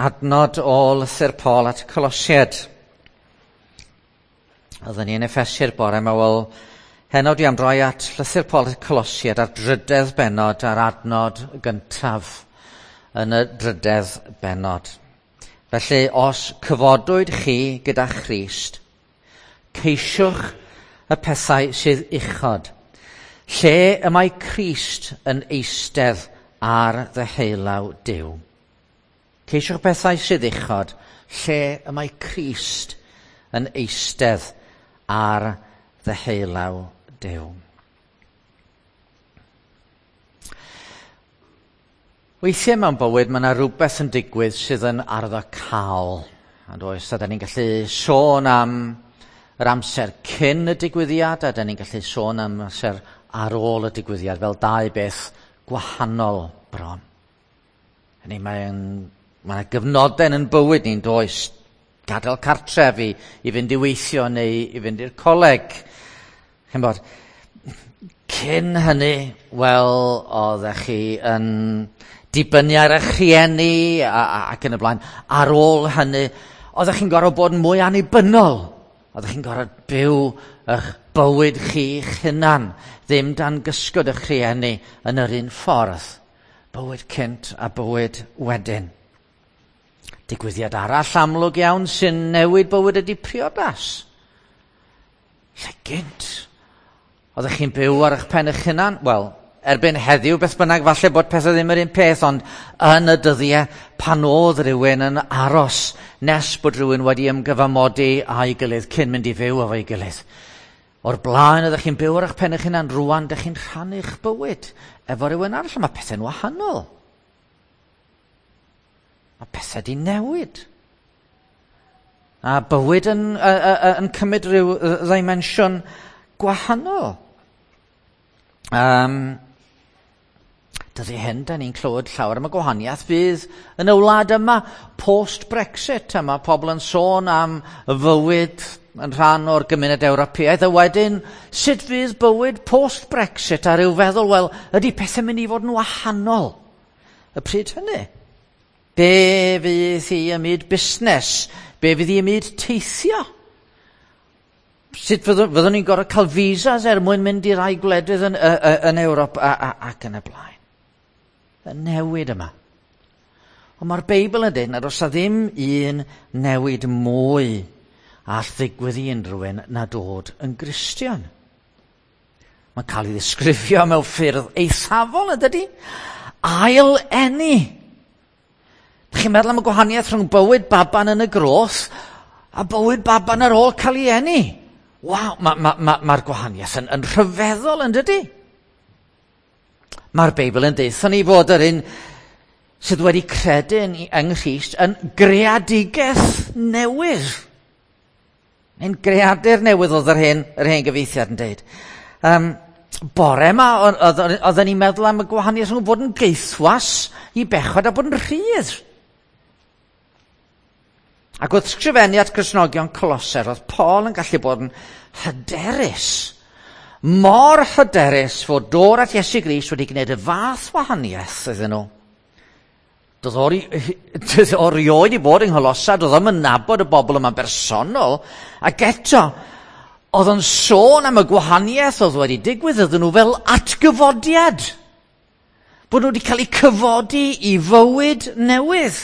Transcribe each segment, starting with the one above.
Adnod o lythyr Paul at y Colosiaid. Oedden ni yn Effesi'r bore yma, wel, heno dwi am droi at lythyr Paul at y Colosiaid a'r drydedd bennod a'r adnod gyntaf yn y drydedd bennod. Felly, os cyfodwyd chi gyda Christ, ceisiwch y pethau sydd uchod, lle y mae Crist yn eistedd ar ddeheulaw Duw. Ceisiwch bethau sydd uchod, lle y mae Crist yn eistedd ar ddeheulaw Duw. Weithiau mewn bywyd mae yna rhywbeth yn digwydd sydd yn arddocâol. A does, a da ni'n gallu sôn am yr amser cyn y digwyddiad, a da ni'n gallu sôn am amser ar ôl y digwyddiad, fel dau beth gwahanol bron. Hynny, mae'n Mae yna gyfnodau yn bywyd ni'n does, gadael cartref i, i fynd i weithio neu i fynd i'r coleg. Ch'mod, cyn hynny, wel, oeddech chi yn dibynnu ar eich rhieni a, a, ac yn y blaen. Ar ôl hynny, oeddech chi'n gorfod bod yn mwy annibynnol. Oeddech chi'n gorfod byw eich bywyd chi'ch hunan, ddim dan gysgod eich rhieni yn yr un ffordd. Bywyd cynt a bywyd wedyn. Digwyddiad arall amlwg iawn sy'n newid bywyd ydy priodas. Lle gynt? Oeddech chi'n byw ar eich pen eich hunan? Wel, erbyn heddiw beth bynnag, falle bod pethau ddim yr un peth, ond yn y dyddiau pan oedd rhywun yn aros nes bod rhywun wedi ymgyfamodi â'i gilydd cyn mynd i fyw efo'i gilydd. O'r blaen oeddech chi'n byw ar eich pen eich hunan, rwan dych chi'n rhannu'ch bywyd efo rhywun arall, a mae pethau'n wahanol. Mae pethau di newid. A bywyd yn, yn cymryd rhyw ddimensiwn gwahanol. Um, dydy hyn, da ni'n clywed llawer am y gwahaniaeth fydd yn y wlad yma post-Brexit, a mae pobl yn sôn am fywyd yn rhan o'r gymuned Ewropeaidd, a wedyn sut fydd bywyd post-Brexit, a rhyw feddwl, wel, ydy pethau'n mynd i fod yn wahanol y pryd hynny? Be fydd hi ym myd busnes? Be fydd hi ym myd teithio? Sut fyddwn, fyddwn ni'n gorfod cael visas er mwyn mynd i rai gwledydd yn, yn Ewrop a, a, ac yn y blaen? Y newid yma. Ond mae'r Beibl yn dweud nad oes ddim un newid mwy all ddigwydd i unrhyw un na dod yn Gristion. Mae'n cael ei ddisgrifio mewn ffyrdd eithafol, yn dydy? Ail eni. Dych chi'n meddwl am y gwahaniaeth rhwng bywyd baban yn y groth a bywyd baban ar ôl cael ei eni? Waw, mae'r ma, ma, ma, ma gwahaniaeth yn, yn rhyfeddol yn dydy? Mae'r Beibl yn deutha ni fod yr un sydd wedi credu yn, yng Nghrist yn greadigaeth newydd. Neu'n greadur newydd oedd yr hen, yr hen gyfeithiad yn deud. Um, bore yma, oedden ni'n meddwl am y gwahaniaeth rhwng bod yn geithwas i bechod a bod yn rhydd. Ac wrth sgrifennu at Gristnogion Coloser, oedd Paul yn gallu bod yn hyderus. Mor hyderus fod dod at Iesu Grist wedi gwneud y fath wahaniaeth iddyn nhw. Doedd o rioed i bod yng Ngholosa, doedd o'm yn nabod y bobl yma'n bersonol, ac eto, oedd o'n sôn am y gwahaniaeth oedd wedi digwydd iddyn nhw fel atgyfodiad. Bod nhw wedi cael eu cyfodi i fywyd newydd.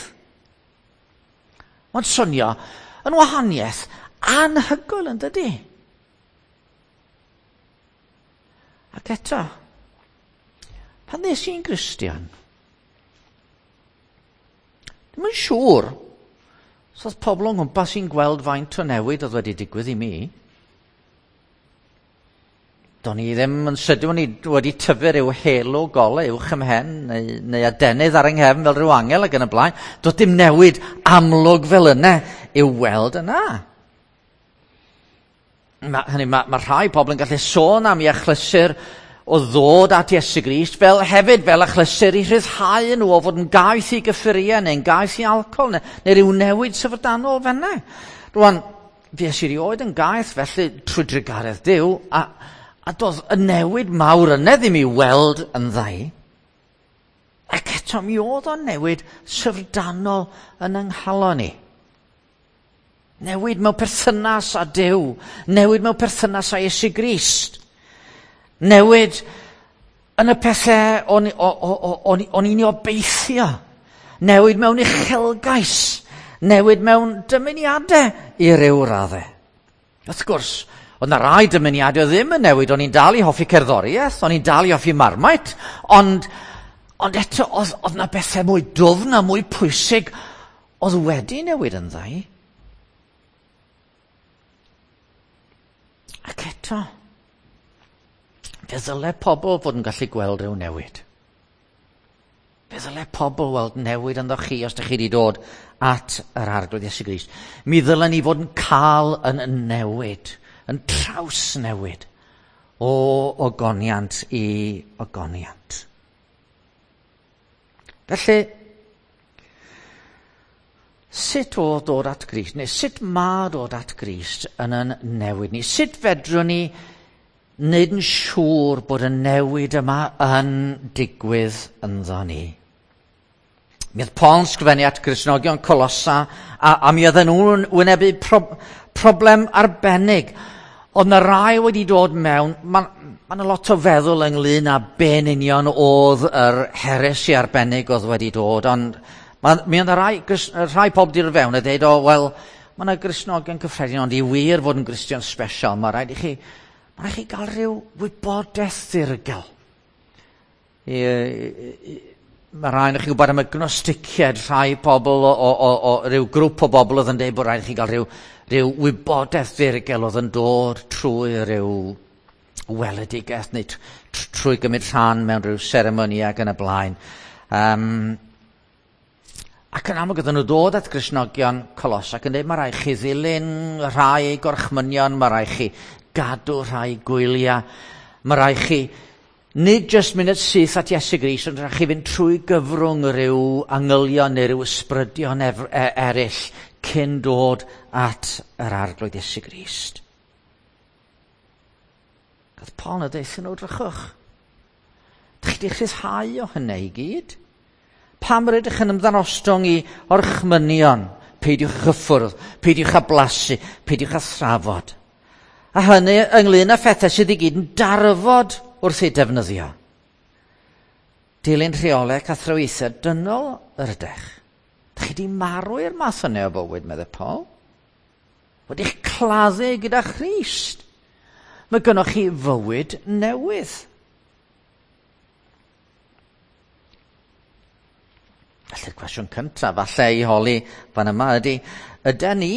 Mae'n swnio yn wahaniaeth anhygoel yn dydy. Ac eto, pan ddes i'n Gristion, ddim yn siŵr os oedd pobl o'n nghwmpas i'n gweld faint o newid oedd wedi digwydd i mi. Do'n i ddim yn sydyn, o'n i wedi tyfu rhyw halo golau uwch ym mhen, neu, neu adenydd ar yng nghefn fel rhyw angel ac yn y blaen. Doedd dim newid amlwg fel yna i'w weld yna. Mae, hynny, mae, mae rhai pobl yn gallu sôn am i achlysur o ddod at Iesu Grist, fel hefyd fel achlysur i rhyddhau nhw o fod yn gaeth i gyffuriau neu'n gaeth i alcohol neu, neu rhyw newid syfrdanol fenna. Rwan, fues i rioed yn gaeth felly trwy drugaredd Duw, a, a doedd y newid mawr yna ddim i weld yn ddau. Ac eto mi oedd o'n newid syfrdanol yn yng nghalon i. Newid mewn perthynas â Duw. Newid mewn perthynas â Iesu Grist. Newid yn y pethau o'n i'n obeithio. Newid mewn uchelgais. Newid mewn dymuniadau i ryw raddau. Wrth gwrs, oedd 'na rai dymuniadau ddim yn newid. O'n i'n dal i hoffi cerddoriaeth, o'n i'n dal i hoffi Marmite, ond eto oedd 'na bethau mwy dwfn a mwy pwysig oedd wedi newid ynddo i. Ac eto, fe ddyle pobl fod yn gallu gweld rhyw newid. Fe ddyle pobl weld newid ynddo chi os ydych chi wedi dod at yr Arglwydd Iesu Grist. Mi ddylen ni fod yn cael yn newid, yn trawsnewid o ogoniant i ogoniant. Felly, sut oedd dod at Grist, neu sut mae dod at Grist yn yn newid ni? Sut fedrwn ni wneud yn siŵr bod y newid yma yn digwydd ynddo ni? Mi oedd Paul yn sgrifennu at Gristnogion Colossa, a mi oedden nhw'n wynebu problem arbennig. Oedd 'na rai wedi dod mewn, mae 'na lot o feddwl ynglyn â be'n union oedd yr heresi arbennig oedd wedi dod, ond mi oedd 'na rhai pobl wedi dod fewn a dweud, o, wel, mae 'na Gristnogion cyffredin, ond i wir fod yn Gristion special, mae rhaid i chi gael rhyw wybodaeth ddirgel. Mae rhai o'ch chi'n gwybod am y gnosticiaid, rhai pobl o ryw grŵp o bobl oedd yn dweud bod rhaid i chi gael rhyw wybodaeth ddirgel oedd yn dod trwy ryw weledigaeth neu trwy gymryd rhan mewn rhyw seremoni ac yn y blaen. Ac yn amlwg oedden nhw dod at Gristnogion Colossa ac yn dweud mae rhaid chi ddilyn rhai gorchmynion, mae rhaid chi gadw rhai gwyliau, mae rhaid chi nid jyst mynd syth at Iesu Grist, ond rhaid chi fynd trwy gyfrwng rhyw angylion neu rhyw ysbrydion eraill cyn dod at yr Arglwydd Iesu Grist. Oedd Paul yn deud nhw, drychwch. Dych chi wedi rhyddhau o hynny i gyd? Pam rydych yn ymddanostwng i orchmynion? Peidiwch â chyffwrdd, peidiwch â blasu, peidiwch â thrafod. A hynny ynglyn â phethau sydd i gyd yn darfod wrth ei defnyddio. Dilyn rheolau ac athrawiaethau dynol yr ydych. Dych chi wedi marw i'r math yna o fywyd, meddai Paul. Wedi'ch claddu gyda Christ. Mae gynnoch chi fywyd newydd. Felly'r cwestiwn cyntaf falle i holi fan yma ydy, ydy ni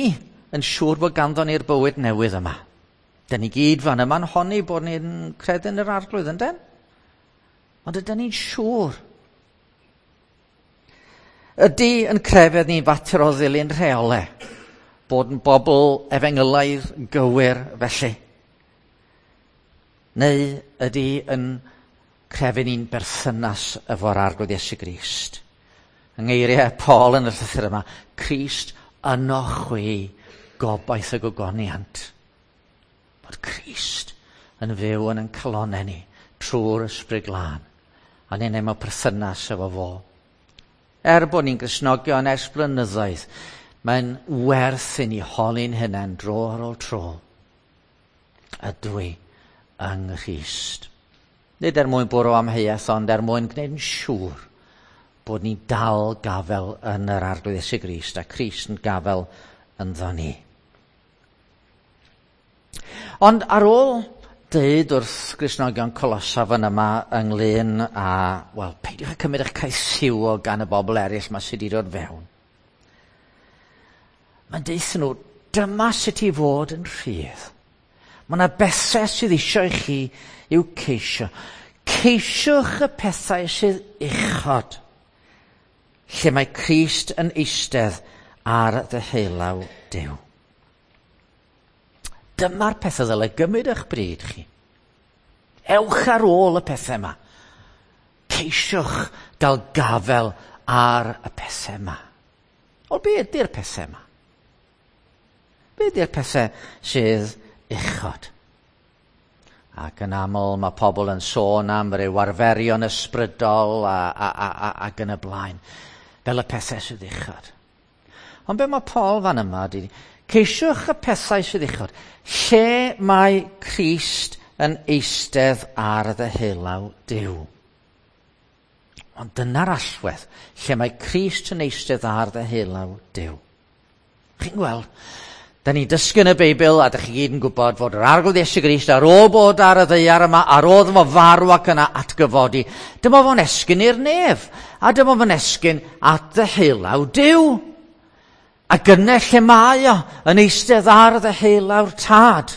yn siŵr bod ganddo ni'r bywyd newydd yma? Dyn ni gyd fan yma'n honni bod ni'n credu yn yr Arglwydd, ynden? Ond ydyn ni'n siŵr? Ydy yn crefydd ni'n fater o ddilyn rheolau? Bod yn bobl efengylaidd gywir felly? Neu ydy yn crefydd ni'n berthynas efo'r Arglwydd Iesu Grist? Yng ngeiriau Paul yn y llythyr yma, Crist yno chwi, gobaith y gogoniant. Bod Crist yn fyw yn ein calonnau ni trwy'r Ysbryd Glân, a ni'n mewn perthynas efo fo. Er bod ni'n Gristnogion ers blynyddoedd, mae'n werth i ni holi'n hunain dro ar ôl tro. Ydw i yng Nghrist? Nid er mwyn bwrw amheuaeth, ond er mwyn gwneud yn siŵr bod ni dal gafel yn yr Arglwydd Iesu Grist a Crist yn gafel ynddo ni. Ond ar ôl deud wrth Gristnogion Colossa fan yma ynglyn â, wel, peidiwch â cymryd eich caethiwo gan y bobl eraill ma sydd wedi dod fewn. Mae'n deutha nhw, dyma sut i fod yn rhydd. Mae yna bethau sydd eisiau i chi i'w ceisio. Ceisiwch y pethau sydd uchod, lle mae Crist yn eistedd ar ddeheulaw Duw. Dyma'r pethau ddylai gymryd eich bryd chi. Ewch ar ôl y pethau yma. Ceisiwch gael gafel ar y pethau yma. O, be ydy'r pethau yma? Be ydy'r pethau sydd uchod? Ac yn aml mae pobl yn sôn am ryw arferion ysbrydol ac yn y blaen, fel y pethau sydd uchod. Ond be mae Paul fan yma ydy, ceisiwch y pethau sydd uchod, lle mae Crist yn eistedd ar ddeheulaw Duw. Ond dyna'r allwedd, lle mae Crist yn eistedd ar ddeheulaw Duw. Chi'n gweld, da ni'n dysgu yn y Beibl, a da chi gyd yn gwybod fod yr Arglwydd Iesu Grist ar ôl bod ar y ddaear yma, ar ôl fo farw ac yna atgyfodi, dyma fo'n esgyn i'r nef, a dyma fo'n esgyn at ddeheulaw Duw. A gyna lle mae o yn eistedd ar ddeheulaw'r Tad.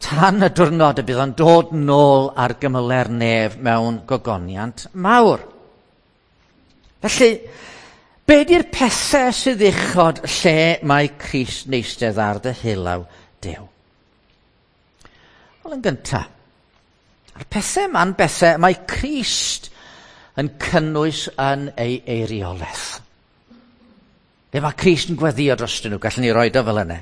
Tan y diwrnod y bydd o'n dod nôl ar gymyle'r nef mewn gogoniant mawr. Felly, be di'r pethau sydd uchod lle mae Crist yn eistedd ar ddeheulaw Duw? Wel, yn gyntaf, a'r pethau yma'n bethau mae Crist yn cynnwys yn ei eiriolaeth. Be mae Crist yn gweddio drostyn nhw, gallwn ni roed o fel yna.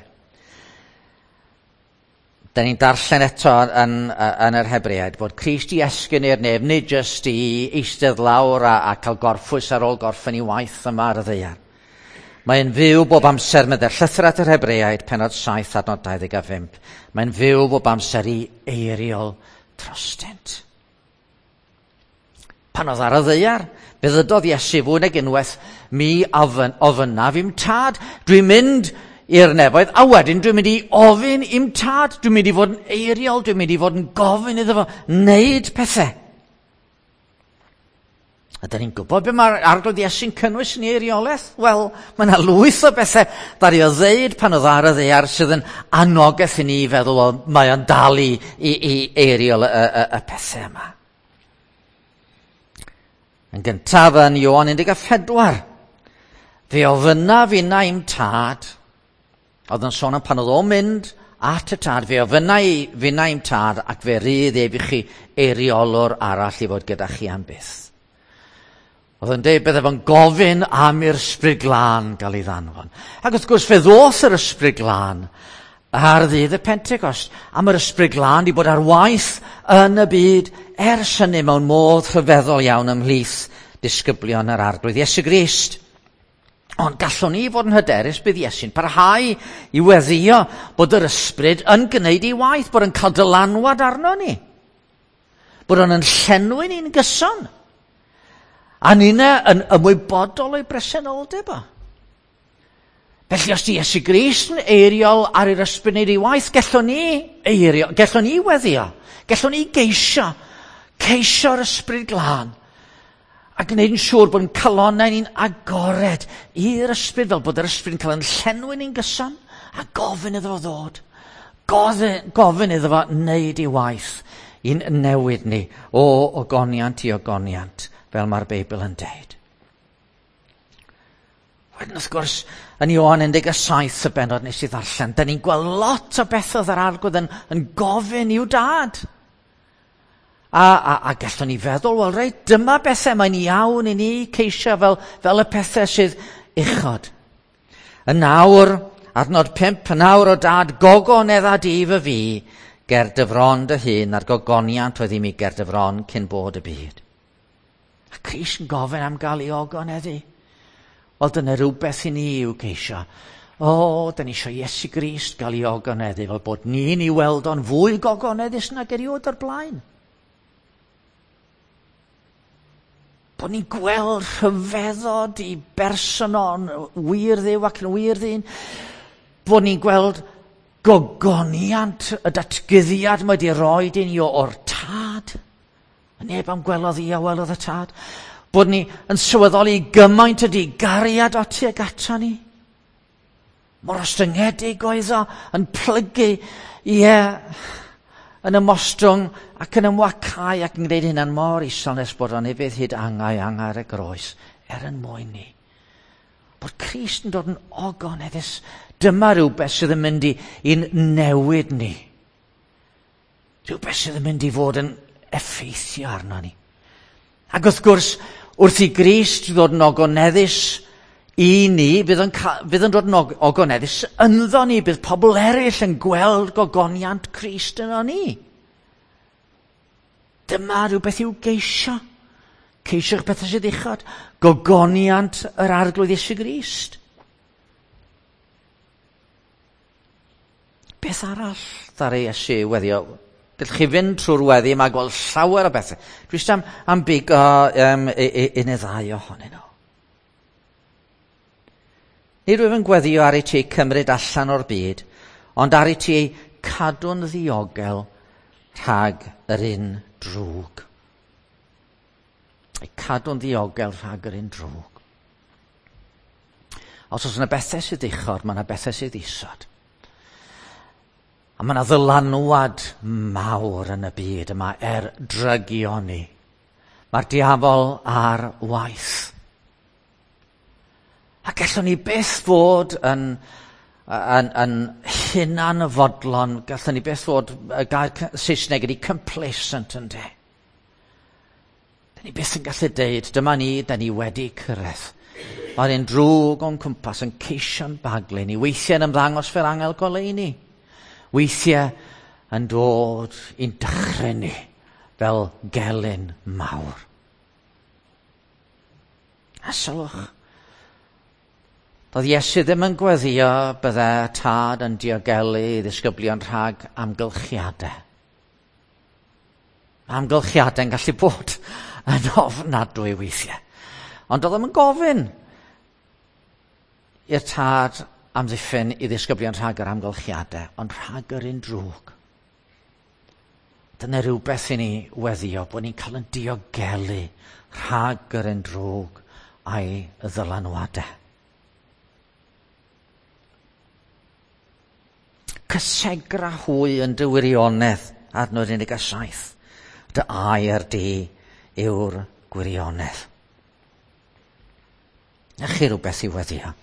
Da ni'n darllen eto yn yr Hebreaid bod Crist i esgyn i'r nef, nid jyst i eistedd lawr a cael gorffwys ar ôl gorffen i waith yma ar y ddaear. Mae'n fyw bob amser, meddai'r llythyr at yr Hebreaid, pennod 7, adnod 25. Mae'n fyw bob amser i eiriol drostynt. Pan oedd ar y ddaear, fe ddydodd Iesu fwy nag unwaith, mi ofynnaf i'm tad. Dwi'n mynd i'r nefoedd, a wedyn dwi'n mynd i ofyn i'm tad. Dwi'n mynd i fod yn eiriol, dwi'n mynd i fod yn gofyn iddo fo wneud pethau. A da ni'n gwybod be mae'r Arglwydd Iesu'n cynnwys yn ei eiriolaeth? Wel, mae yna lwyth o bethau ddaru o ddeud pan oedd ar y ddaear sydd yn anogaeth i ni feddwl, o, mae o'n dal i eiriol y pethau yma. Yn gyntaf yn Ioan 14, fe ofynnaf inna i'm tad, oedd yn sôn am pan oedd o'n mynd at y tad, fe ofynna finna i'm tad ac fe rydd ef i chi eiriolwr arall i fod gyda chi am byth. Oedd yn deud bydde fo'n gofyn am i'r Ysbryd Glân gael ei ddanfon. Ac wrth gwrs fe ddoth yr Ysbryd Glân ar ddydd y Pentecost, a mae'r Ysbryd Glân wedi bod ar waith yn y byd ers hynny mewn modd rhyfeddol iawn ymhlith disgyblion yr Arglwydd Iesu Grist. Ond gallwn ni fod yn hyderus bydd Iesu'n parhau i weddio bod yr Ysbryd yn gwneud ei waith, bod yn cael dylanwad arno ni, bod o'n yn llenwi ni'n gyson, a ninna yn ymwybodol o'i bresenoldeb o. Felly os di Iesu Grist yn eiriol ar yr Ysbryd wneud ei waith, gallwn ni eirio, gallwn ni weddio, gallwn ni geisio, ceisio'r Ysbryd Glân, a gwneud yn siŵr bod yn calonnau ni'n agored i'r Ysbryd, fel bod yr Ysbryd yn cael yn llenwi ni'n gyson, a gofyn iddo fo ddod, gofyn iddo fo wneud ei waith i'n newid ni o ogoniant i ogoniant, fel mae'r Beibl yn deud. Wedyn wrth gwrs, yn Ioan 17 y bennod nes i ddarllen, da ni'n gweld lot o bethau yr Arglwydd yn gofyn i'w dad. A gallwn ni feddwl, wel reit, dyma bethau mae'n iawn i ni ceisio fel y pethau sydd uchod. Yn nawr, adnod 5, yn nawr o dad, gogonedda di fy fi, ger dy fron dy hun, a'r gogoniant oedd i mi ger dy fron cyn bod y byd. A Crist yn gofyn am gael ei ogoneddu. Wel, dyna rhywbeth i ni i'w ceisio. O, da ni eisiau Iesu Grist gael ei ogoneddu, fel bod ni'n ei weld o'n fwy gogoneddus nag erioed o'r blaen. Bod ni'n gweld rhyfeddod i berson o'n wir Dduw ac yn wir ddyn. Bod ni'n gweld gogoniant y datguddiad mae wedi roi i ni o'r tad. A neb am gwelodd i a welodd y tad. Bod ni yn sylweddoli gymaint ydi gariad o tuag ato ni. Mor ostyngedig oedd o, yn plygu, ie, yn ymostwng ac yn ymwacau ac yn gwneud hynna'n mor isel nes bod o'n ufudd hyd angau ar y groes, er yn mwyn ni. Bod Crist yn dod yn ogoneddus, dyma rhywbeth sydd yn mynd i'n newid ni. Rhywbeth sydd yn mynd i fod yn effeithio arno ni. Ac wrth gwrs, wrth i Grist ddod yn ogoneddus i ni, fydd yn dod yn ogoneddus ynddo ni, bydd pobl eraill yn gweld gogoniant Crist yno ni. Dyma rhywbeth i'w geisio. Ceisiwch bethau sydd uchod. Gogoniant yr Arglwydd Iesu Grist. Beth arall ddaru Iesu weddio? Gallwch chi fynd trwy'r weddi yma a gweld llawer o bethau. Dwi eisiau am bigo un neu ddau ohonyn nhw. Nid wyf yn gweddio ar i ti cymryd allan o'r byd, ond ar i ti cadw'n ddiogel rhag yr un drwg. Eu cadw'n ddiogel rhag yr un drwg. Os oes yna bethau sydd uchod, mae yna bethau sydd isod. A mae yna ddylanwad mawr yn y byd yma er drygioni. Mae'r diafol ar waith. A gallwn ni byth fod yn hunanfodlon, gallwn ni byth fod, y gair Saesneg ydy complacent ynde. Da ni byth yn gallu deud, dyma ni, da ni wedi cyrraedd. Mae'r un drwg o'n cwmpas yn ceisio'n baglu ni, weithiau yn ymddangos fel angel goleuni, weithiau yn dod i'n dychryn ni fel gelyn mawr. A sylwch, doedd Iesu ddim yn gweddio bydde tad yn diogelu ei ddisgyblion rhag amgylchiadau. Amgylchiadau'n gallu bod yn ofnadwy weithiau. Ond doedd ddim yn gofyn i'r tad amddiffyn i ddisgyblion rhag yr amgylchiadau, ond rhag yr un drwg. Dyna rhywbeth i ni weddio, bod ni'n cael yn diogelu rhag yr un drwg a'i ddylanwadau. Cysegra hwy yn dy wirionedd, adnod 17. Dy air di yw'r gwirionedd. Na chi rhywbeth i weddio.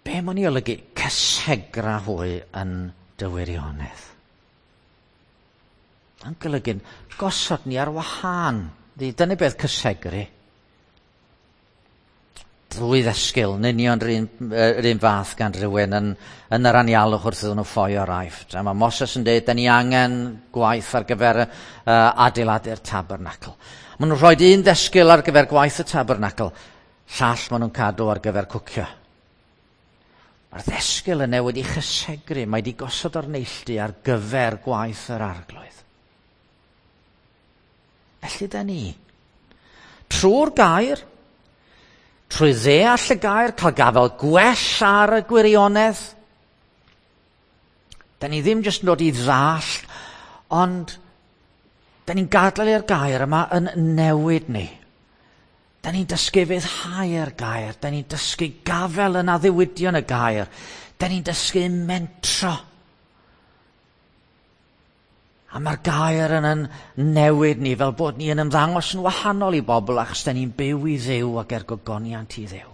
Be mae'n ei olygu cysegra hwy yn dy wirionedd? Yn golygu'n gosod ni ar wahân. Dyna beth cysegru. Drwy ddysgil, yn union yr un fath gan rhywun yn yr anialwch wrth iddyn nhw ffoi o'r Aifft. A mae Moses yn dweud, da ni angen gwaith ar gyfer adeiladu'r tabernacl. Maen nhw'n rhoi un ddysgil ar gyfer gwaith y tabernacl, llall maen nhw'n cadw ar gyfer cwcio. Mae'r ddysgil yna wedi chysegru, mae wedi gosod o'r neilltu ar gyfer gwaith yr Arglwydd. Felly da ni, trwy'r gair, trwy ddeall y gair, cael gafael gwell ar y gwirionedd. Da ni ddim jyst yn dod i ddall, ond da ni'n gadael i'r gair yma yn newid ni. Da ni'n dysgu fyddhau'r gair, da ni'n dysgu gafael yn addewidion y gair, da ni'n dysgu mentro. A mae'r gair yn newid ni fel bod ni yn ymddangos yn wahanol i bobl achos da ni'n byw i Dduw ac er gogoniant i Dduw.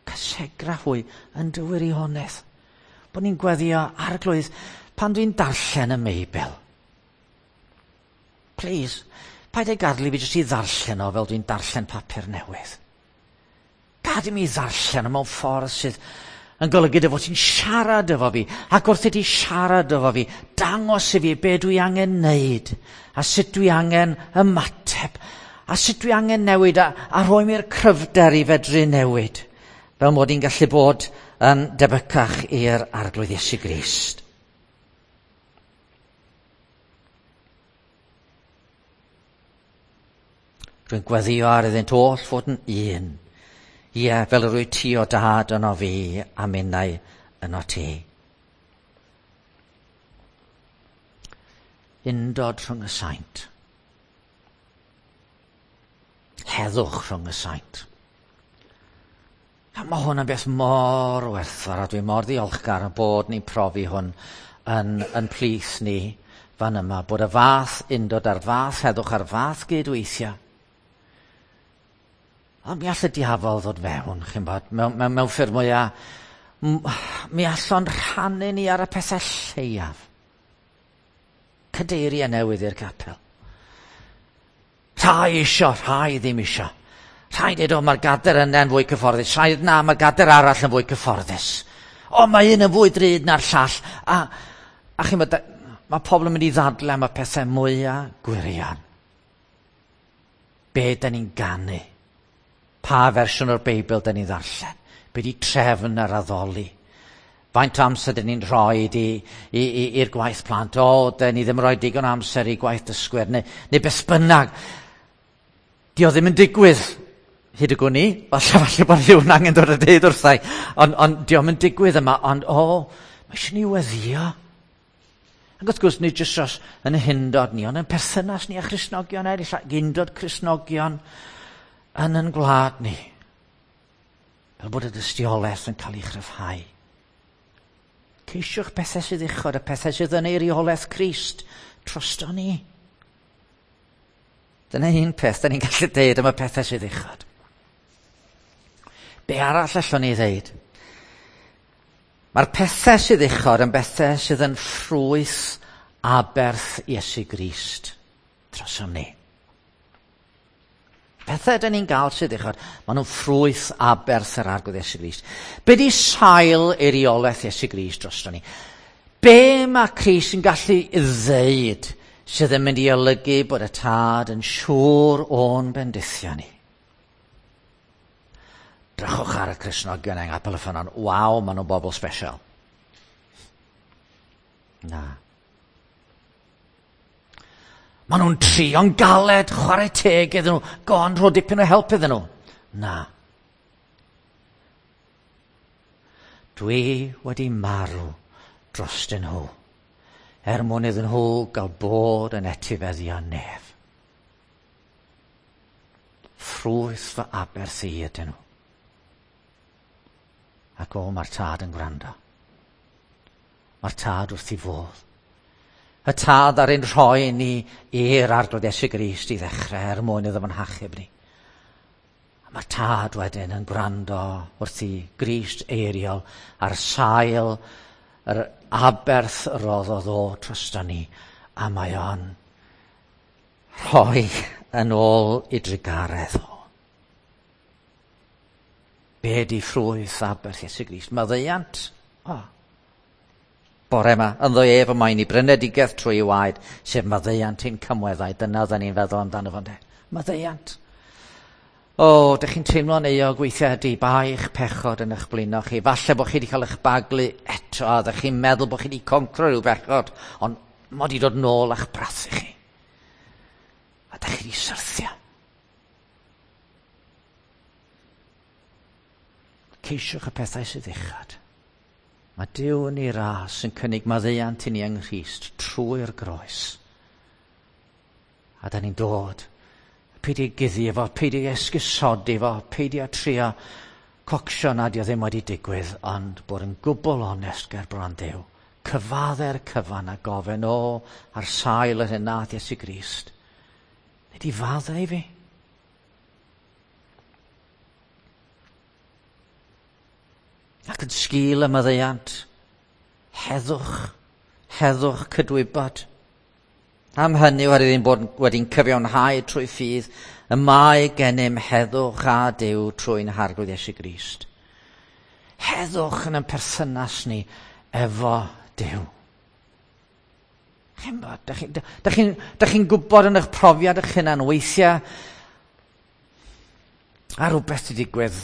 Cysegra hwy yn dy wirionedd. Bod ni'n gweddio Arglwydd pan dwi'n darllen y Meibl. Please, paid ei gadw i fi jyst i ddarllen o fel dwi'n darllen papur newydd. Gad i mi ddarllen o mewn ffordd sydd yn golygu dy fod ti'n siarad efo fi, ac wrth i ti siarad efo fi, dangos i fi be dwi angen neud, a sut dwi angen ymateb, a sut dwi angen newid, a rhoi mi'r cryfder i fedru newid, fel mod i'n gallu bod yn debycach i'r Arglwydd Iesu Grist. Rwy'n gweddio ar iddynt oll fod yn un. Ie, fel yr wyt ti o dad yno fi a minnau yno ti. Undod rhwng y saint. Heddwch rhwng y saint. A mae hwn yn beth mor werthfawr a dwi mor ddiolchgar yn bod ni'n profi hwn yn plith ni fan yma, bod y fath undod a'r fath heddwch a'r fath gydweithio. Ond mi all y diafol ddod fewn, chi'n bod, mewn ffyrdd mwyaf, mi all o'n rhannu ni ar y pethau lleiaf. Cadeiriau newydd i'r capel. Rhai isio, rhai ddim isio. Rhai dweud, o, mae'r gader yna yn fwy cyfforddus. Rhai na, mae'r gader arall yn fwy cyfforddus. O, mae un yn fwy drud na'r llall. A chi'n bod, mae pobl yn mynd i ddadle am y pethau mwyaf gwirion. Be da ni'n ganu? Pa fersiwn o'r Beibl da ni'n ddarllen? Be di trefn yr addoli? Faint o amser da ni'n rhoi i'r gwaith plant? O, da ni ddim yn rhoi digon o amser i gwaith dysgwyr, neu beth bynnag. Di o ddim yn digwydd, hyd y gwn i. Falle bod rhywun angen dod a deud wrthai. Ond di o'm yn digwydd yma, ond o, mae eisiau ni weddio. Ac wrth gwrs, nid jyst dros yn hundod ni, ond yn perthynas ni a Christnogion eraill, ac undod Cristnogion yn gwlad ni. Fel bod y dystiolaeth yn cael ei chryfhau. Ceisiwch pethau sydd uchod, y pethau sydd yn eiriolaeth Crist drosto ni. Dyna un peth da ni'n gallu deud am y pethau sydd uchod. Be arall allwn ni ddeud? Mae'r pethau sydd uchod yn bethau sydd yn ffrwyth aberth Iesu Grist drosom ni. Pethau dyn ni'n gael sydd uchod, maen nhw'n ffrwyth aberth yr Arglwydd Iesu Grist. Be di sail eiriolaeth Iesu Grist drosto ni? Be mae Crist yn gallu ddeud sydd yn mynd i olygu bod y Tad yn siŵr o'n bendithio ni? Drychwch ar y Cristnogion yng Nghapel y Ffynnon. Waw, maen nhw'n bobl special. Na. Maen nhw'n trio'n galed, chwarae teg iddyn nhw. Go on, rho dipyn o help iddyn nhw. Na. Dwi wedi marw drostyn nhw, er mwyn iddyn nhw gael bod yn etifeddion nef. Ffrwyth fy aberth i ydyn nhw. Ac o, mae'r Tad yn gwrando. Mae'r Tad wrth ei fodd. Y Tad ar ein rhoi ni i'r Arglwydd Iesu Grist i ddechrau er mwyn iddo fo'n hachub ni. A mae'r Tad wedyn yn gwrando wrth i Grist eiriol ar sail yr aberth roddodd o drosto ni, a mae o'n rhoi yn ôl i drugaredd o. Be di ffrwyth aberth Iesu Grist? Maddeuant. O. Bore yma, ynddo ef y mae'n i brynedigaeth trwy ei waed, sef maddeuant ein cymweddau. Dyna oedden ni'n feddwl amdano fo, ynde? Maddeuant. O, dych chi'n teimlo'n euog weithiau ydy baich pechod yn eich blino chi. Falle bod chi wedi cael eich baglu eto, a ddych chi'n meddwl bod chi wedi concro rhyw bechod, ond mod i dod nôl a'ch brathu chi. A dych chi wedi syrthio. Ceisiwch y pethau sydd uchod. Mae Duw yn ei ras yn cynnig maddeuant i ni yng Nghrist trwy'r groes. A da ni'n dod. Peidio guddio fo, peidio esgusodi fo, peidio trio cocsio nad yw ddim wedi digwydd, ond bod yn gwbl onest ger bron Duw. Cyfadde'r cyfan a gofyn o ar sail yr hyn nath Iesu Grist. Nid i faddau i fi. Ac yn sgil y maddeuant, heddwch, heddwch cydwybod. Am hynny, oherwydd ein bod wedi'n cyfiawnhau trwy ffydd, y mae gennym heddwch a Duw trwy'n Harglwydd Iesu Grist. Heddwch yn ein perthynas ni efo Duw. Chimod, dych chi'n gwybod yn eich profiad eich hunan weithiau, a rhywbeth wedi digwydd.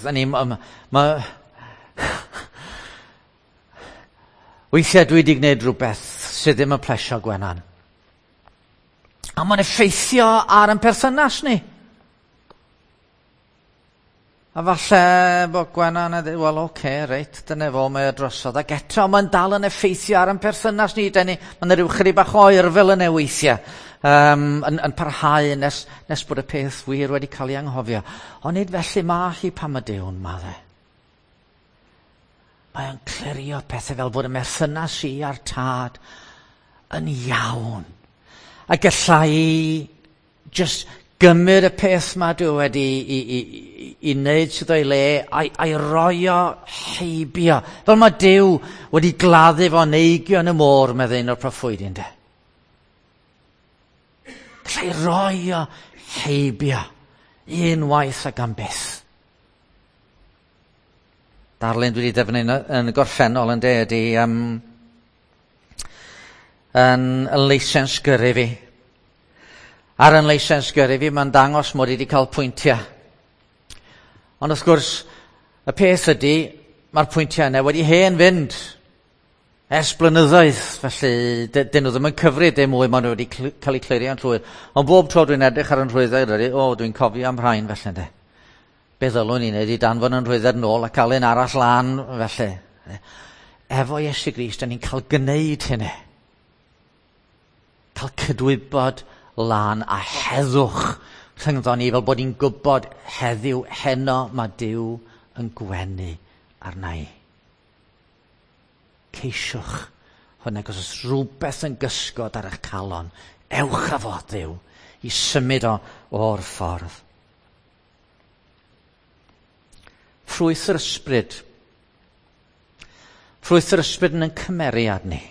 Weithiau dwi wedi gwneud rhywbeth sydd ddim yn plesio Gwenan. A mae'n effeithio ar ein perthynas ni. A falle bod Gwenan yn dweud, wel, oce, reit, dyna fo, mae o drosodd. Ac eto, mae'n dal yn effeithio ar ein perthynas ni. Mae'n rhyw chydig bach oer fel yna weithiau. Yn parhau nes bod y peth wir wedi cael ei anghofio. Ond nid felly mae hi pan mae Duw'n maddau. Mae o'n clirio pethau fel bod y merthynas i a'r Tad yn iawn. A galla i just gymryd y peth ma dwi wedi i wneud sydd o'i le a'i roi o heibio. Fel mae Duw wedi gladdu fo neigio yn y môr, meddai un o'r proffwydi, ynde. Galla i roi o heibio unwaith ac am byth. Darlun dwi wedi defnyddio yn y gorffennol, ynde, ydy yn leisens gyrru fi. Ar yn leisens gyrru fi, mae'n dangos mod i wedi cael pwyntiau. Ond wrth gwrs, y peth ydy, mae'r pwyntiau yna wedi hen fynd ers blynyddoedd, felly dyn nhw ddim yn cyfri dim mwy, maen nhw wedi cael eu clirio'n llwyr. Ond bob tro dwi'n edrych ar yn rhwyddau, o, dwi'n cofio am rhain felly, ynddo. Be ddylwn i'n neud i danfon yn rhwyddau nôl a cael un arall lan, felly. Efo Iesu Grist, da ni'n cael gwneud hynny. Cael cydwybod lan a heddwch rhyngddo ni, fel bod ni'n gwybod heddiw, heno, mae Duw yn gwenu arna i. Ceisiwch hwnna, os oes rhywbeth yn gysgod ar eich calon, ewch â fo Dduw i symud o o'r ffordd. Ffrwyth yr ysbryd. Ffrwyth yr ysbryd yn ein cymeriad ni.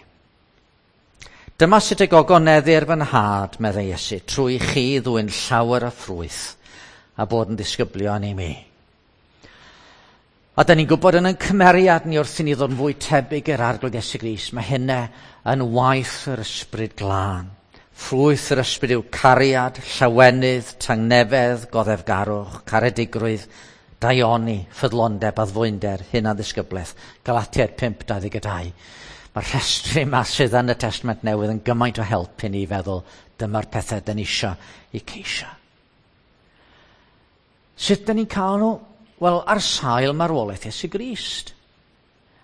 Dyma sut y gogoneddir fy nhad, meddai Iesu, trwy chi ddwyn llawer o ffrwyth a bod yn ddisgyblion i mi. A da ni'n gwybod yn ein cymeriad ni wrth i ni ddod yn fwy tebyg i'r Arglwydd Iesu Grist, mae hynna yn waith yr ysbryd glân. Ffrwyth yr ysbryd yw cariad, llawenydd, tangnefedd, goddefgarwch, caredigrwydd, daioni, ffyddlondeb, addfwynder, hunan-ddisgyblaeth. Galatiaid 5:22. Mae'r rhestru yma sydd yn y Testament Newydd yn gymaint o help i ni feddwl dyma'r pethau dyn ni isio i ceisio. Sut dyn ni'n cael nhw? Wel, ar sail marwolaeth Iesu Grist.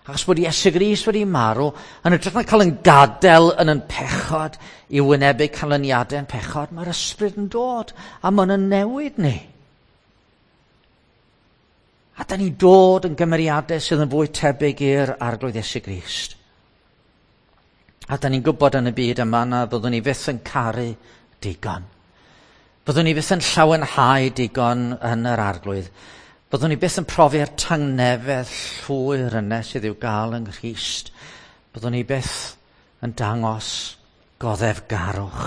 Achos bod Iesu Grist wedi marw, yn hytrach na cael yn gadael yn yn pechod i wynebu canlyniadau yn pechod, mae'r ysbryd yn dod a mae'n yn newid ni. A da ni'n dod yn gymeriadau sydd yn fwy tebyg i'r Arglwydd Iesu Grist. A da ni'n gwybod yn y byd yma na byddwn ni fyth yn caru digon. Byddwn ni fyth yn llawenhau digon yn yr Arglwydd. Byddwn ni byth yn profi'r tangnefedd llwyr yna sydd i'w gael yng Nghrist. Byddwn ni byth yn dangos goddefgarwch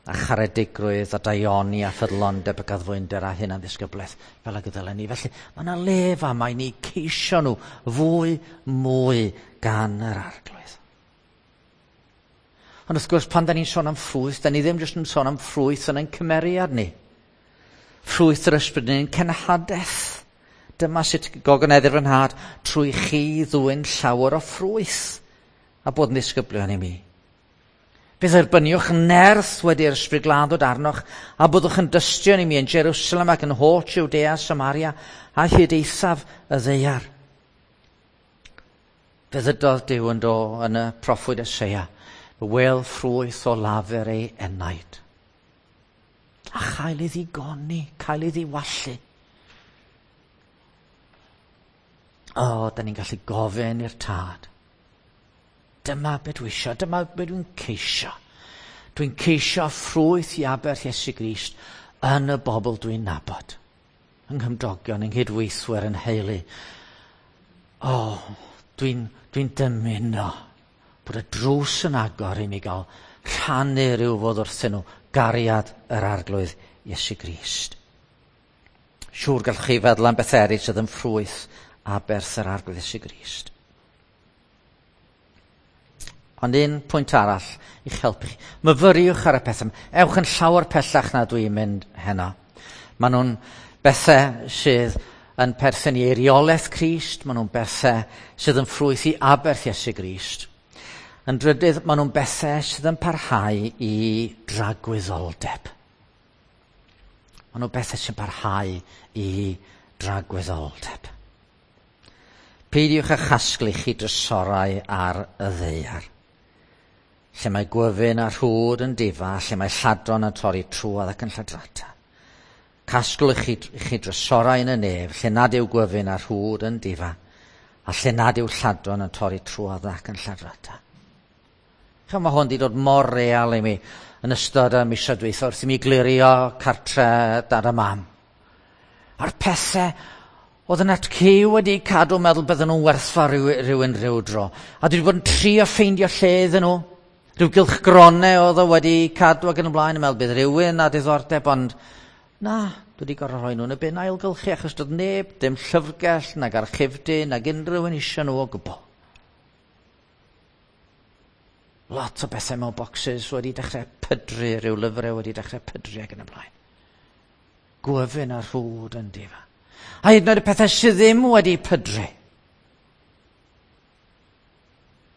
a charedigrwydd a daioni a ffyddlondeb ac addfwynder a hunan-ddisgyblaeth fel ag y ddylen ni. Felly mae yna le fama i ni ceisio nhw fwy mwy gan yr Arglwydd. Ond wrth gwrs, pan da ni'n sôn am ffrwyth, da ni ddim jyst yn sôn am ffrwyth yn ein cymeriad ni. Ffrwyth yr ysbryd yn ein cenhadaeth. Dyma sut gogoneddir fy nhad, trwy chi ddwyn llawer o ffrwyth a bod yn ddisgyblion i mi. Fe dderbyniwch nerth wedi'r ysbryd glân ddod arnoch a byddwch yn dystion i mi yn Jerusalem ac yn holl Jwdea, Samaria a hyd eithaf y ddaear. Fe ddydodd Duw yn do yn y proffwyd Eseia, wel ffrwyth o lafur ei enaid. A chael ei ddigoni, cael ei ddiwallu. O, da ni'n gallu gofyn i'r tad. Dyma be dwi isio, dyma be dwi'n ceisio. Dwi'n ceisio ffrwyth i aberth Iesu Grist yn y bobl dwi'n nabod. Yng nghymdogion, yng nghydweithwyr, yn heulu. O, dwi'n dwi dymuno bod y drws yn agor i mi gael rhannu rhyw fodd wrthyn nhw gariad yr Arglwydd Iesu Grist. Siŵr gallwch chi feddwl am beth eraill sydd yn ffrwyth aberth yr Arglwydd Iesu Grist. Ond un pwynt arall i'ch helpu chi. Myfyriwch ar y pethau. Ewch yn llawer pellach na dwi'n mynd heno. Maen nhw'n bethau sydd yn perthyn i eiriolaeth Crist. Maen nhw'n bethau sydd yn ffrwyth i aberth Iesu Grist. Yn drydydd, maen nhw'n bethau sydd yn parhau i dragwyddoldeb. Maen nhw'n bethau sy'n parhau i dragwyddoldeb. Peidiwch â chasglu chi drysorau ar y ddaear, lle mae gwyfyn a rhwd yn difa, lle mae lladron yn torri trwodd ac yn lladrata. Casglwch chi drysorau yn y nef, lle nad yw gwyfyn a rhwd yn difa, a lle nad yw lladron yn torri trwodd ac yn lladrata. Chymod, mae hwn wedi dod mor real i mi yn ystod y misoedd dwytha wrth i mi glirio cartre dad a mam. A'r pethau oedd yn atcu wedi cadw meddwl bydden nhw'n werthfawr rhywun rhyw dro. A dwi wedi bod yn trio ffeindio lle iddyn nhw. Rhyw gylchgronau oedd o wedi cadw ac yn y blaen yn meddwl bydd rhywun a diddordeb, ond na, dwi wedi gorfod rhoi nhw yn y bin ailgylchu achos doedd neb, dim llyfrgell, nag archifdy, nag unrhyw un eisiau nhw o gwbl. Lot o bethau mewn boxes wedi dechrau pydru, rhyw lyfrau wedi dechrau pydru ac yn y blaen. Gwyfyn a rhwd yn difa. A hyd yn oed y pethau sydd ddim wedi pydru.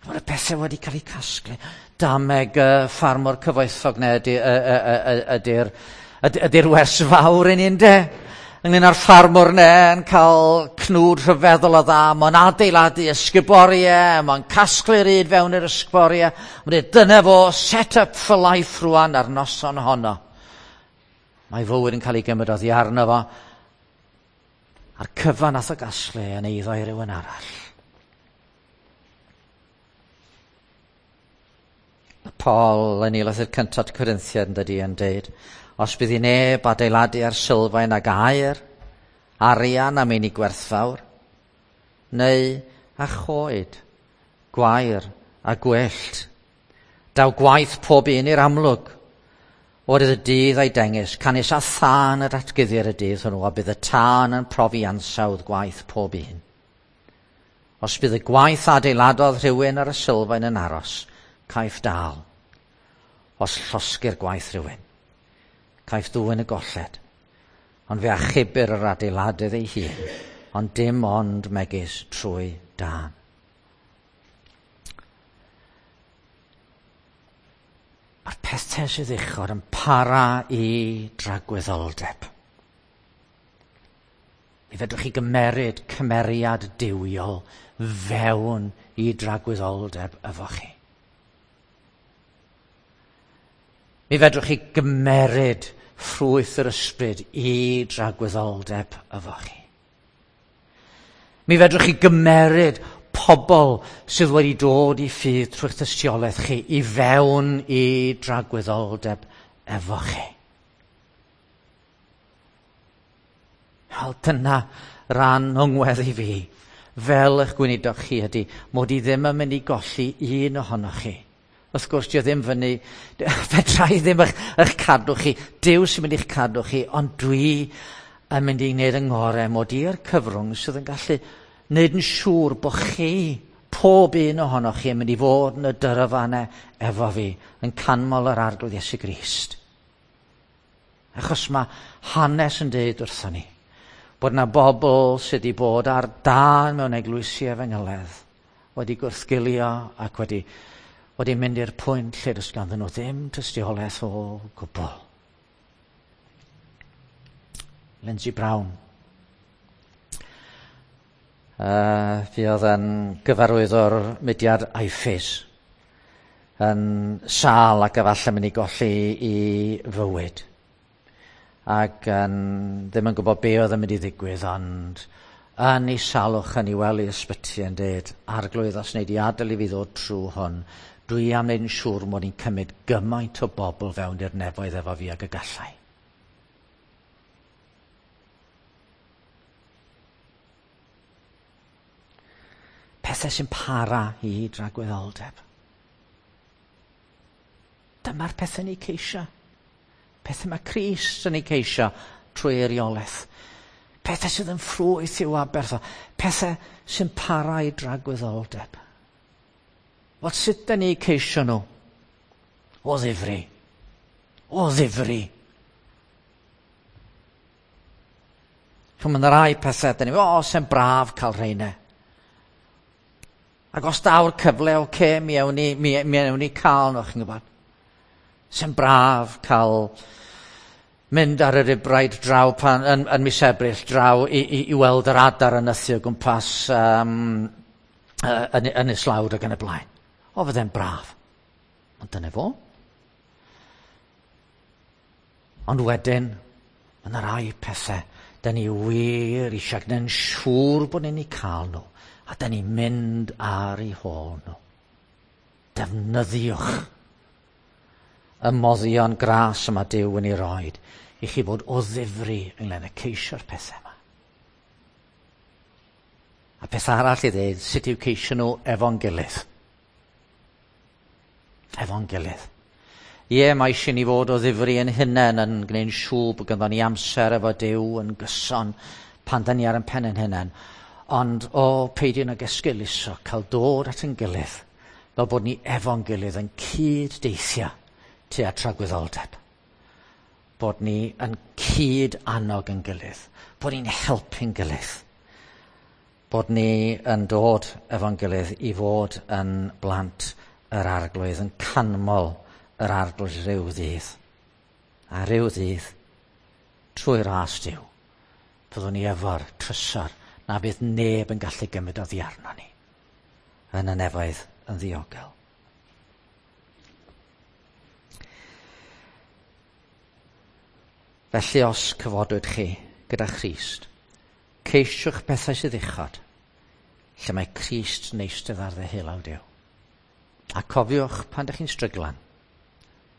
Mae'r pethau wedi cael eu casglu. Dameg y ffarmwr cyfoethog neu ydy'r wers fawr i ni, ynde? Ynglyn â'r ffarmwr ne yn cael cnwd rhyfeddol o dda, mae'n adeiladu ysguboriau, mae'n casglu'r un fewn i'r ysguboriau, mae'n dweud, dyna fo, set up for life rwan ar noson honno. Mae fywyd yn cael ei gymryd oddi arno fo, a'r cyfan nath o gasglu yn eiddo i rywun arall. Paul yn ei lythyr cyntaf Corinthiad yn dydy yn deud, os bydd i neb adeiladu ar sylfaen ag aur, arian a meini gwerthfawr, neu a choed, gwair a gwellt. Daw gwaith pob un i'r amlwg. O'r y dydd a'i dengys, canys a thân yr atguddir y dydd hwnnw, a bydd y tân yn profi ansawdd gwaith pob un. Os bydd y gwaith adeiladodd rhywun ar y sylfaen yn aros, caiff dal. Os llosgir gwaith rhywun, caiff ddwyn y golled, ond fe achubir yr adeiladydd ei hun, ond dim ond megis trwy dân. Mae'r pethau sydd uchod yn para i dragwyddoldeb. Mi fedrwch chi gymeryd cymeriad duwiol fewn i dragwyddoldeb efo chi. Mi fedrwch chi gymeryd ffrwyth yr ysbryd i dragwyddoldeb efo chi. Mi fedrwch chi gymeryd pobl sydd wedi dod i ffydd trwy'ch tystiolaeth chi i fewn i dragwyddoldeb efo chi. Wel, dyna ran o'n ngweddi fi, fel eich gweinidog chi ydy, mod i ddim yn mynd i golli un ohonoch chi. Wrth gwrs, dio ddim fyny, fedra i ddim eich cadw chi, Duw sy'n mynd i'ch cadw chi, ond dwi yn mynd i wneud yng ngorau mod i'r cyfrwng sydd yn gallu wneud yn siŵr bod chi, pob un ohonoch chi, yn mynd i fod yn y dyrfanau efo fi, yn canmol yr Arglwydd Iesu Grist. Achos mae hanes yn deud wrthon ni bod yna bobl sydd wedi bod ar dân mewn eglwysi efengyledd wedi gwrthgilio ac wedi mynd i'r pwynt lle does ganddyn nhw ddim tystiolaeth o gwbl. Lindsay Brown. Fuodd yn gyfarwyddwr mudiad IFES yn sâl ac efallai mynd i golli i fywyd. Ac ddim yn gwybod be oedd yn mynd i ddigwydd, ond yn ei salwch yn ei wely ysbyty yn dweud, Arglwydd, os wnei di adael i fi ddod trwy hwn, dwi am wneud yn siŵr mod i'n cymryd gymaint o bobl fewn i'r nefoedd efo fi ag y gallai. Pethau sy'n para i dragwyddoldeb. Dyma'r pethau ni ceisio. Pethau mae Crist yn ei ceisio trwy eiriolaeth. Pethau sydd yn ffrwyth i'w aberth o. Pethau sy'n para i dragwyddoldeb. Wel, sut da ni ceisio nhw? O ddifri. O ddifri. Ch'mo', ma' 'na rai pethau, da ni, o, se'n braf cael rheina. Ac os daw'r cyfle, oce, mi ewn ni, mi ewn ni cael nhw, chi'n gwybod. Se'n braf cael mynd ar yr ibraid draw pan, yn mis Ebrill draw i weld yr adar yn nythu o gwmpas yn Islawd ac yn y blaen. O, fydde'n braf. Ond dyna fo. Ond wedyn, mae yna rai pethau da ni wir eisiau gwneud yn siŵr bod ni'n eu cael nhw, a da ni'n mynd ar eu hôl nhw. Defnyddiwch y moddion gras yma Duw yn ei roed i chi fod o ddifri ynglyn â ceisio'r pethau yma. A peth arall i ddeud, sut yw ceisio nhw efo'n gilydd? Efo'n gilydd. Ie, mae eisiau ni fod o ddifri yn hunain yn gwneud siŵr bod ganddo ni amser efo Duw yn gyson pan da ni ar ein pen ein hunain. Ond, o, peidio nag esgeuluso, cael dod at ein gilydd, Fel bod ni efo'n gilydd yn cyd-deithio tua tragwyddoldeb. Bod ni yn cyd-annog yn gilydd. Bod ni'n helpu'n gilydd. Bod ni yn dod efo'n gilydd i fod yn blant yr Arglwydd, yn canmol yr Arglwydd rhyw ddydd. A rhyw ddydd, trwy ras Duw, fyddwn ni efo'r trysor na fydd neb yn gallu gymryd oddi arno ni yn y nefoedd yn ddiogel. Felly os cyfodwyd chi gyda Christ, ceisiwch bethau sydd uchod, lle mae Crist yn eistedd ar ddeheulaw Duw. A cofiwch pan ydych chi'n stryglan,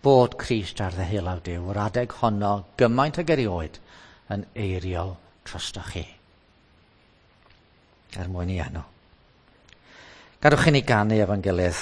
bod Crist ar ddeheulaw Duw yr adeg honno gymaint ag erioed yn eiriol drostoch chi. Er mwyn i enw. Gadwch i ni ganu efo'n gilydd.